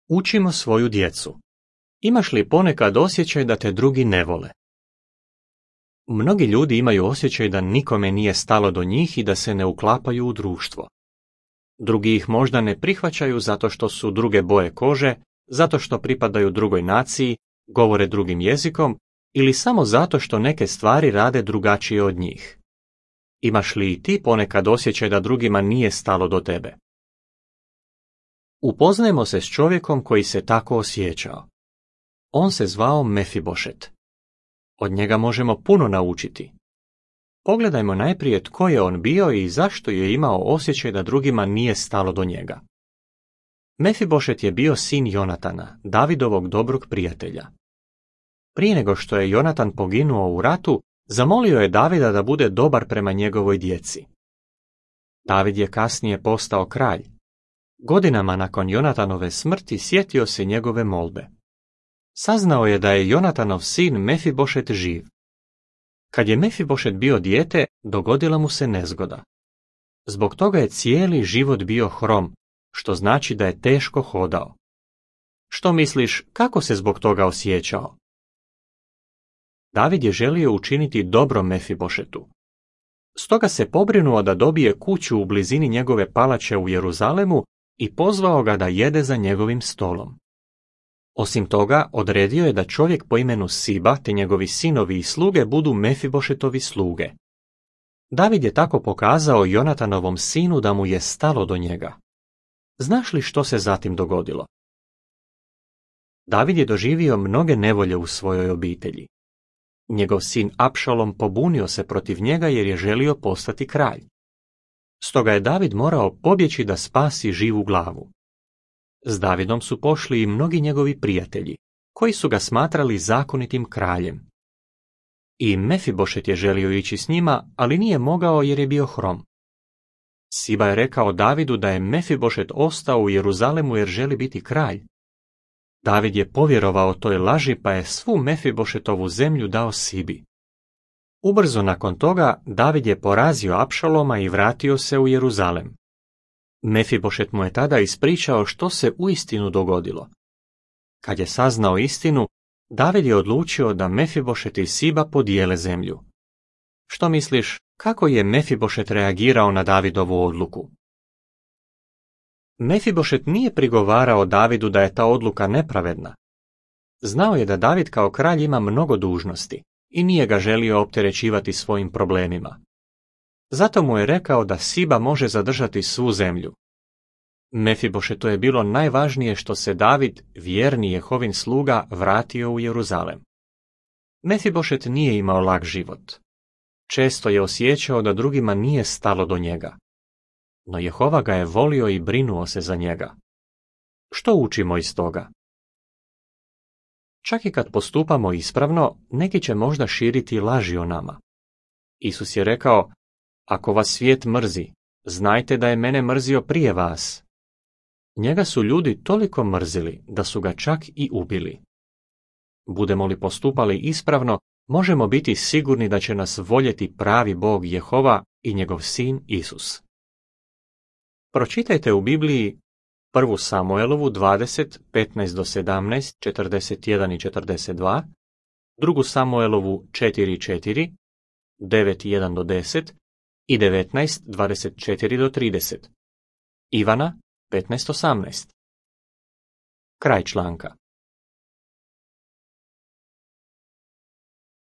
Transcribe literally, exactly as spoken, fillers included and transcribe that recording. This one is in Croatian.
Učimo svoju djecu. Imaš li ponekad osjećaj da te drugi ne vole? Mnogi ljudi imaju osjećaj da nikome nije stalo do njih i da se ne uklapaju u društvo. Drugi ih možda ne prihvaćaju zato što su druge boje kože, zato što pripadaju drugoj naciji, govore drugim jezikom ili samo zato što neke stvari rade drugačije od njih. Imaš li i ti ponekad osjećaj da drugima nije stalo do tebe? Upoznajmo se s čovjekom koji se tako osjećao. On se zvao Mefibošet. Od njega možemo puno naučiti. Pogledajmo najprije tko je on bio i zašto je imao osjećaj da drugima nije stalo do njega. Mefibošet je bio sin Jonatana, Davidovog dobrog prijatelja. Prije nego što je Jonatan poginuo u ratu, zamolio je Davida da bude dobar prema njegovoj djeci. David je kasnije postao kralj. Godinama nakon Jonatanove smrti sjetio se njegove molbe. Saznao je da je Jonatanov sin Mefibošet živ. Kad je Mefibošet bio dijete, dogodila mu se nezgoda. Zbog toga je cijeli život bio hrom, što znači da je teško hodao. Što misliš, kako se zbog toga osjećao? David je želio učiniti dobro Mefibošetu. Stoga se pobrinuo da dobije kuću u blizini njegove palače u Jeruzalemu i pozvao ga da jede za njegovim stolom. Osim toga, odredio je da čovjek po imenu Siba te njegovi sinovi i sluge budu Mefibošetovi sluge. David je tako pokazao Jonatanovom sinu da mu je stalo do njega. Znaš li što se zatim dogodilo? David je doživio mnoge nevolje u svojoj obitelji. Njegov sin Apšalom pobunio se protiv njega jer je želio postati kralj. Stoga je David morao pobjeći da spasi živu glavu. S Davidom su pošli i mnogi njegovi prijatelji, koji su ga smatrali zakonitim kraljem. I Mefibošet je želio ići s njima, ali nije mogao jer je bio hrom. Siba je rekao Davidu da je Mefibošet ostao u Jeruzalemu jer želi biti kralj. David je povjerovao toj laži pa je svu Mefibošetovu zemlju dao Sibi. Ubrzo nakon toga David je porazio Apšaloma i vratio se u Jeruzalem. Mefibošet mu je tada ispričao što se uistinu dogodilo. Kad je saznao istinu, David je odlučio da Mefibošet i Siba podijele zemlju. Što misliš, kako je Mefibošet reagirao na Davidovu odluku? Mefibošet nije prigovarao Davidu da je ta odluka nepravedna. Znao je da David kao kralj ima mnogo dužnosti i nije ga želio opterećivati svojim problemima. Zato mu je rekao da Siba može zadržati svu zemlju. Mefibošetu je bilo najvažnije što se David, vjerni Jehovin sluga, vratio u Jeruzalem. Mefibošet nije imao lak život. Često je osjećao da drugima nije stalo do njega. No Jehova ga je volio i brinuo se za njega. Što učimo iz toga? Čak i kad postupamo ispravno, neki će možda širiti laži o nama. Isus je rekao, ako vas svijet mrzi, znajte da je mene mrzio prije vas. Njega su ljudi toliko mrzili da su ga čak i ubili. Budemo li postupali ispravno, možemo biti sigurni da će nas voljeti pravi Bog Jehova i njegov sin Isus. Pročitajte u Bibliji prvu Samuelovu dvadeset, petnaest do sedamnaest, četrdeset jedan i četrdeset dva, drugu Samuelovu četiri četiri, devet jedan do deset i devetnaest, dvadeset četiri do trideset. Ivana petnaest osamnaest. Kraj članka.